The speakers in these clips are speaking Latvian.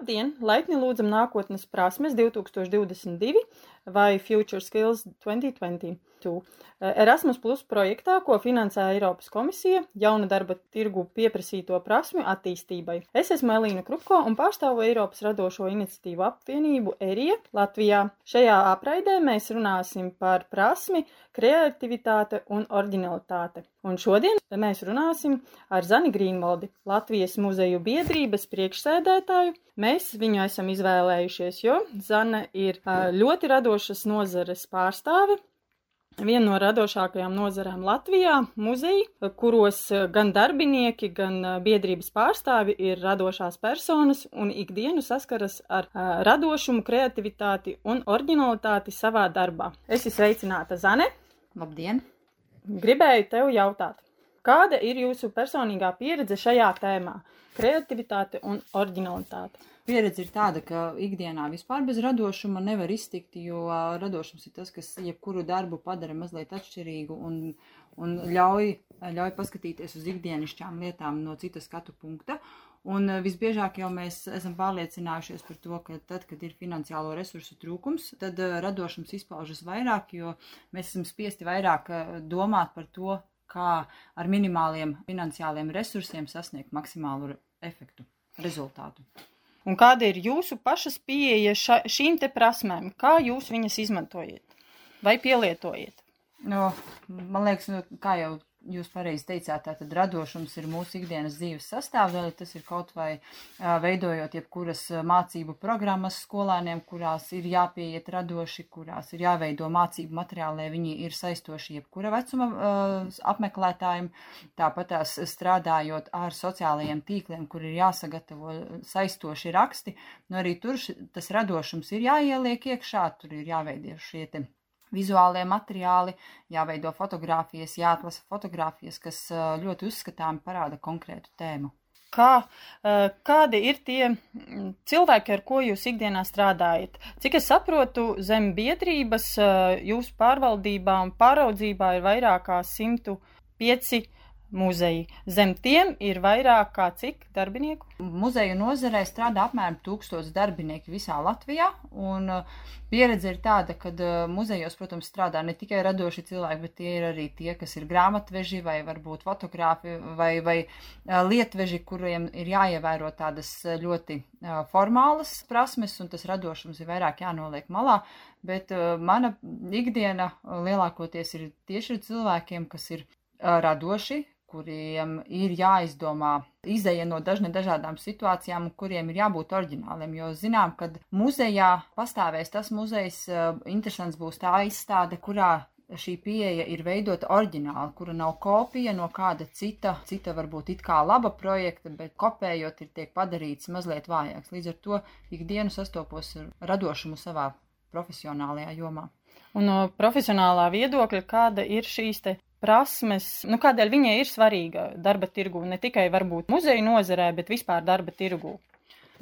Labdien! Laipni lūdzam nākotnes prasmes 2022 vai Future Skills 2022. Erasmus Plus projektā, ko finansē Eiropas komisija jauna darba tirgu pieprasīto prasmju attīstībai. Es esmu Elīna Krupko un pārstāvu Eiropas radošo iniciatīvu apvienību ERIE Latvijā. Šajā apraidē mēs runāsim par prasmi, kreativitāte un oriģinalitāte. Un šodien mēs runāsim ar Zani Grīnvaldi, Latvijas muzeju biedrības priekšsēdētāju. Mēs viņu esam izvēlējušies, jo Zane ir ļoti radošas nozares pārstāve. Viena no radošākajām nozarēm Latvijā - muzeji, kuros gan darbinieki, gan biedrības pārstāvi ir radošās personas un ikdienu saskaras ar radošumu, kreativitāti un oriģinalitāti savā darbā. Esi sveicināta, Zane! Labdien! Gribēju tev jautāt, kāda ir jūsu personīgā pieredze šajā tēmā - kreativitāte un oriģinalitāte? Pieredze ir tāda, ka ikdienā vispār bez radošuma nevar iztikt, jo radošums ir tas, kas jebkuru darbu padara mazliet atšķirīgu un ļauj paskatīties uz ikdienišķām lietām no citas skatu punkta. Un visbiežāk jau mēs esam pārliecinājušies par to, ka tad, kad ir finansiālo resursu trūkums, tad radošums izpaužas vairāk, jo mēs esam spiesti vairāk domāt par to, kā ar minimāliem finansiāliem resursiem sasniegt maksimālu efektu, rezultātu. Un kāda ir jūsu pašas pieeja šīm te prasmēm? Kā jūs viņas izmantojat vai pielietojat? Man liekas, kā jau jūs pareizi teicāt, tātad radošums ir mūsu ikdienas dzīves sastāvdaļa. Tas ir kaut vai veidojot jebkuras mācību programmas skolēniem, kurās ir jāpieiet radoši, kurās ir jāveido mācību materiāli, lai viņi ir saistoši jebkura vecuma apmeklētājiem. Tāpat tās strādājot ar sociālajiem tīkliem, kur ir jāsagatavo saistoši raksti. Arī tur tas radošums ir jāieliek iekšā, tur ir jāveido šie te vizuālie materiāli, jāveido fotogrāfijas, jāatlasa fotogrāfijas, kas ļoti uzskatāmi parāda konkrētu tēmu. Kādi ir tie cilvēki, ar ko jūs ikdienā strādājat? Cik es saprotu, zem biedrības jūsu pārvaldībā un pāraudzībā ir vairāk kā 105 muzeji. Zem tiem ir vairāk kā cik darbinieku? Muzeju nozarē strādā apmēram 1000 darbinieki visā Latvijā, un pieredze ir tāda, ka muzejos, protams, strādā ne tikai radoši cilvēki, bet tie ir arī tie, kas ir grāmatveži vai varbūt fotogrāfi vai lietveži, kuriem ir jāievēro tādas ļoti formālas prasmes, un tas radošums ir vairāk jānoliek malā, bet mana ikdiena lielākoties ir tieši ar cilvēkiem, kas ir radoši, kuriem ir jāizdomā izeja no dažādām situācijām, kuriem ir jābūt oriģināliem, jo zinām, ka muzejā pastāvēs tas muzejs, interesants būs tā izstāde, kurā šī pieeja ir veidota oriģināli, kura nav kopija no kāda cita varbūt it kā laba projekta, bet kopējot tiek padarīts mazliet vājāks. Līdz ar to ikdienu sastopos ar radošumu savā profesionālajā jomā. Un no profesionālā viedokļa, kāda ir šīs te prasmes, kādēļ viņai ir svarīga darba tirgū, ne tikai varbūt muzeju nozarē, bet vispār darba tirgū?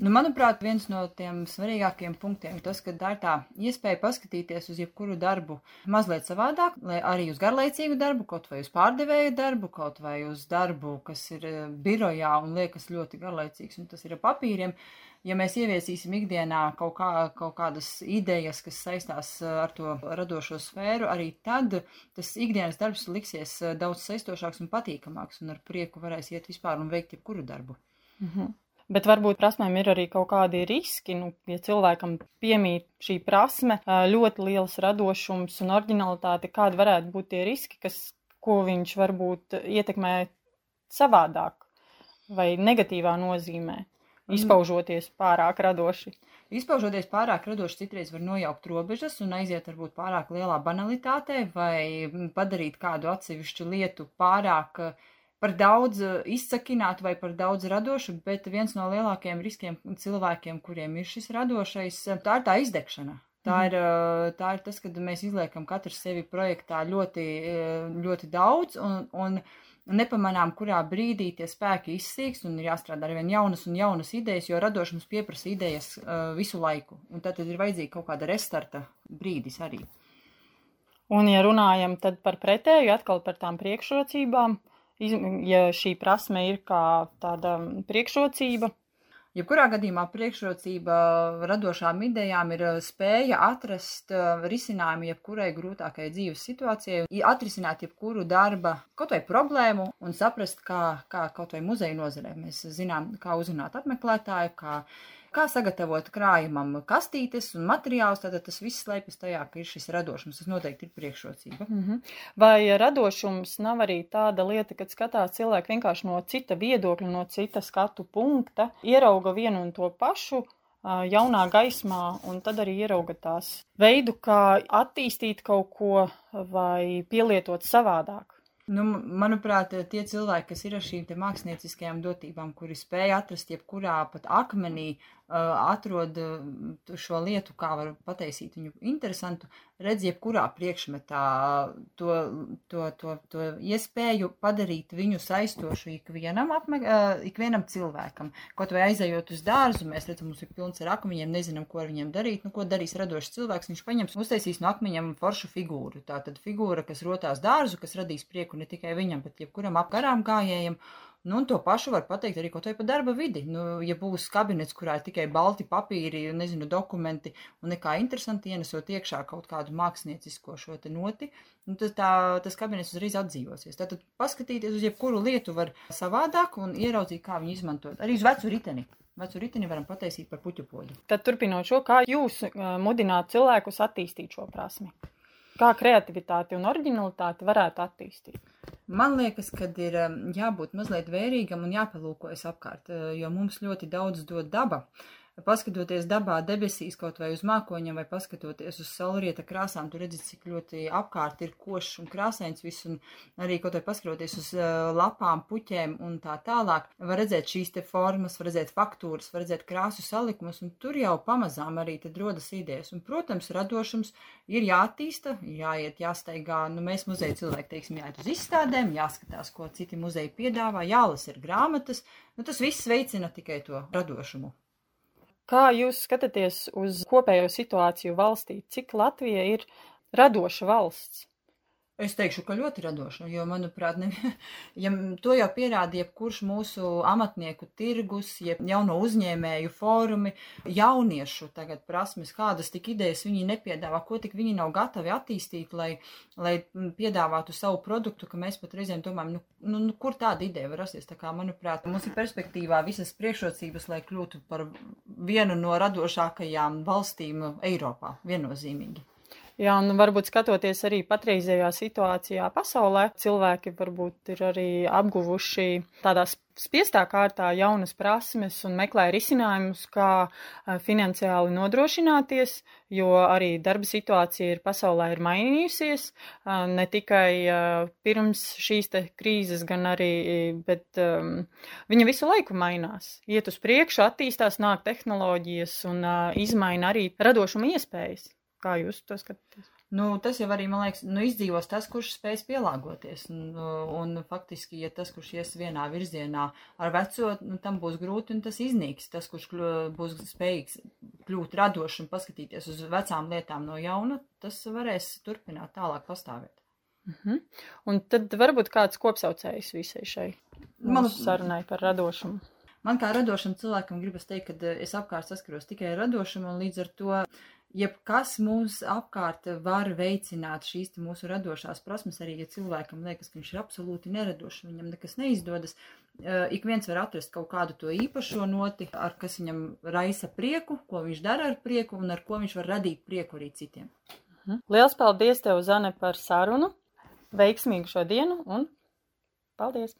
Manuprāt, viens no tiem svarīgākiem punktiem ir tas, ka tā ir tā iespēja paskatīties uz jebkuru darbu mazliet savādāk, lai arī uz garlaicīgu darbu, kaut vai uz pārdevēju darbu, kaut vai uz darbu, kas ir birojā un liekas ļoti garlaicīgs, un tas ir ar papīriem. Ja mēs ieviesīsim ikdienā kaut kādas idejas, kas saistās ar to radošo sfēru, arī tad tas ikdienas darbs liksies daudz saistošāks un patīkamāks, un ar prieku varēs iet vispār un veikt jebkuru darbu. Bet varbūt prasmēm ir arī kaut kādi riski, ja cilvēkam piemīt šī prasme, ļoti liels radošums un oriģinalitāte, kādi varētu būt tie riski, ko viņš varbūt ietekmē savādāk vai negatīvā nozīmē? Izpaužoties pārāk radoši. Izpaužoties pārāk radoši citreiz var nojaukt robežas un aiziet varbūt pārāk lielā banalitātē vai padarīt kādu atsevišķu lietu pārāk par daudz izsakinātu vai par daudz radošu, bet viens no lielākajiem riskiem cilvēkiem, kuriem ir šis radošais, tā ir tā izdegšana. Tā ir tas, kad mēs izliekam katrs sevi projektā ļoti, ļoti daudz un nepamanām, kurā brīdī tie spēki izsīkst un ir jāstrādā ar vien jaunas un jaunas idejas, jo radošums pieprasa idejas visu laiku. Un tad ir vajadzīga kaut kāda restarta brīdis arī. Un ja runājam tad par pretēju, atkal par tām priekšrocībām, ja šī prasme ir kā tāda priekšrocība, Jebkurā gadījumā priekšrocība radošām idejām ir spēja atrast risinājumu jebkurai grūtākai dzīves situācijai, atrisināt jebkuru darba kaut vai problēmu un saprast, kā kaut vai muzeja nozarē. Mēs zinām, kā uzrunāt apmeklētāju, kā sagatavot krājumam kastītes un materiālus, tātad tas viss slēpjas tajā, ka ir šis radošums. Tas noteikti ir priekšrocība. Vai radošums nav arī tāda lieta, kad skatās cilvēki vienkārši no cita viedokļa, no cita skatu punkta, ierauga vienu un to pašu jaunā gaismā, un tad arī ierauga tās veidu, kā attīstīt kaut ko vai pielietot savādāk? Nu, manuprāt, tie cilvēki, kas ir ar šīm te mākslinieckajām dotībām, kuri spēja atrast jebkurā pat akmenī, atrod šo lietu, kā var pataisīt viņu interesantu, redz jebkurā priekšmetā to iespēju padarīt viņu saistošu ikvienam cilvēkam. Kaut vai aizejot uz dārzu, mēs redzam, mums ir pilns ar akmeņiem, nezinām, ko ar viņiem darīt. Nu, ko darīs radošs cilvēks? Viņš paņems, uztaisīs no akmeņiem foršu figūru. Tātad figūra, kas rotās dārzu, kas radīs prieku ne tikai viņam, bet jebkuram apgarām gājējam. Nu, un to pašu var pateikt arī kaut vai par darba vidi. Nu, ja būs kabinets, kurā ir tikai balti papīri, nezinu, dokumenti un nekā interesanti ienesot iekšā kaut kādu māksliniecisko šo te noti, nu, tas kabinets uzreiz atdzīvosies. Tātad paskatīties uz jebkuru lietu var savādāk un ieraudzīt, kā viņu izmantot. Arī uz vecu riteni. Vecu riteni varam pataisīt par puķupoļu. Tad turpinot šo, kā jūs mudināt cilvēkus attīstīt šo prasmi? Kā kreativitāti un oriģinalitāti varētu attīstīt? Man liekas, ka ir jābūt mazliet vērīgam un jāpalūkojas apkārt, jo mums ļoti daudz dod daba. Paskatoties dabā debesīs kaut vai uz mākoņiem vai paskatoties uz saulrieta krāsām, tu redzi, cik ļoti apkārt ir košs un krāsains viss, un arī kaut vai paskatoties uz lapām, puķēm un tā tālāk, var redzēt šīs te formas, var redzēt faktūras, var redzēt krāsu salikumus, un tur jau pamazām arī tad rodas idejas. Un, protams, radošums ir jāattīsta, jāiet, jāstaigā, nu mēs muzeja cilvēki, teiksim, jāiet uz izstādēm, jāskatās, ko citi muzeji piedāvā, jālas ir grāmatas, nu tas viss veicina tikai to radošumu. Kā jūs skatāties uz kopējo situāciju valstī? Cik Latvija ir radoša valsts? Es teikšu, ka ļoti radoša, jo, manuprāt, to jau pierāda jebkurš mūsu amatnieku tirgus, jauno uzņēmēju fórumi, jauniešu tagad prasmes, kādas tik idejas viņi nepiedāvā, ko tik viņi nav gatavi attīstīt, lai piedāvātu savu produktu, ka mēs pat reizēm domājam, kur tāda ideja var rasties. Tā kā, manuprāt, mums ir perspektīvā visas priekšrocības, lai kļūtu par vienu no radošākajām valstīm Eiropā, viennozīmīgi. Jā, un varbūt skatoties arī patreizējā situācijā pasaulē, cilvēki varbūt ir arī apguvuši tādā spiestā kārtā jaunas prasmes un meklē risinājumus, kā finansiāli nodrošināties, jo arī darba situācija pasaulē ir mainījusies, ne tikai pirms šīs te krīzes, gan arī, bet viņa visu laiku mainās. Iet uz priekšu, attīstās, nāk tehnoloģijas un izmaina arī radošuma iespējas. Kā jūs to skatāties? Tas jau arī, man liekas, izdzīvos tas, kurš spējas pielāgoties. Un faktiski, ja tas, kurš ies vienā virzienā ar veco, tam būs grūti un tas iznīks. Tas, kurš būs spējīgs kļūt radošs un paskatīties uz vecām lietām no jauna, tas varēs turpināt tālāk pastāvēt. Un tad varbūt kāds kopsaucējs visai šai mūsu sarunai par radošumu. Man kā radošam cilvēkam gribas teikt, ka es apkārt saskaros tikai radošumu un līdz ar to jebkas mums apkārt var veicināt šīs mūsu radošās prasmes, arī ja cilvēkam liekas, ka viņš ir absolūti neradošs, viņam nekas neizdodas, ik viens var atrast kaut kādu to īpašo noti, ar kas viņam raisa prieku, ko viņš dara ar prieku un ar ko viņš var radīt prieku arī citiem. Liels paldies tev, Zane, par sarunu, veiksmīgu šo dienu un paldies!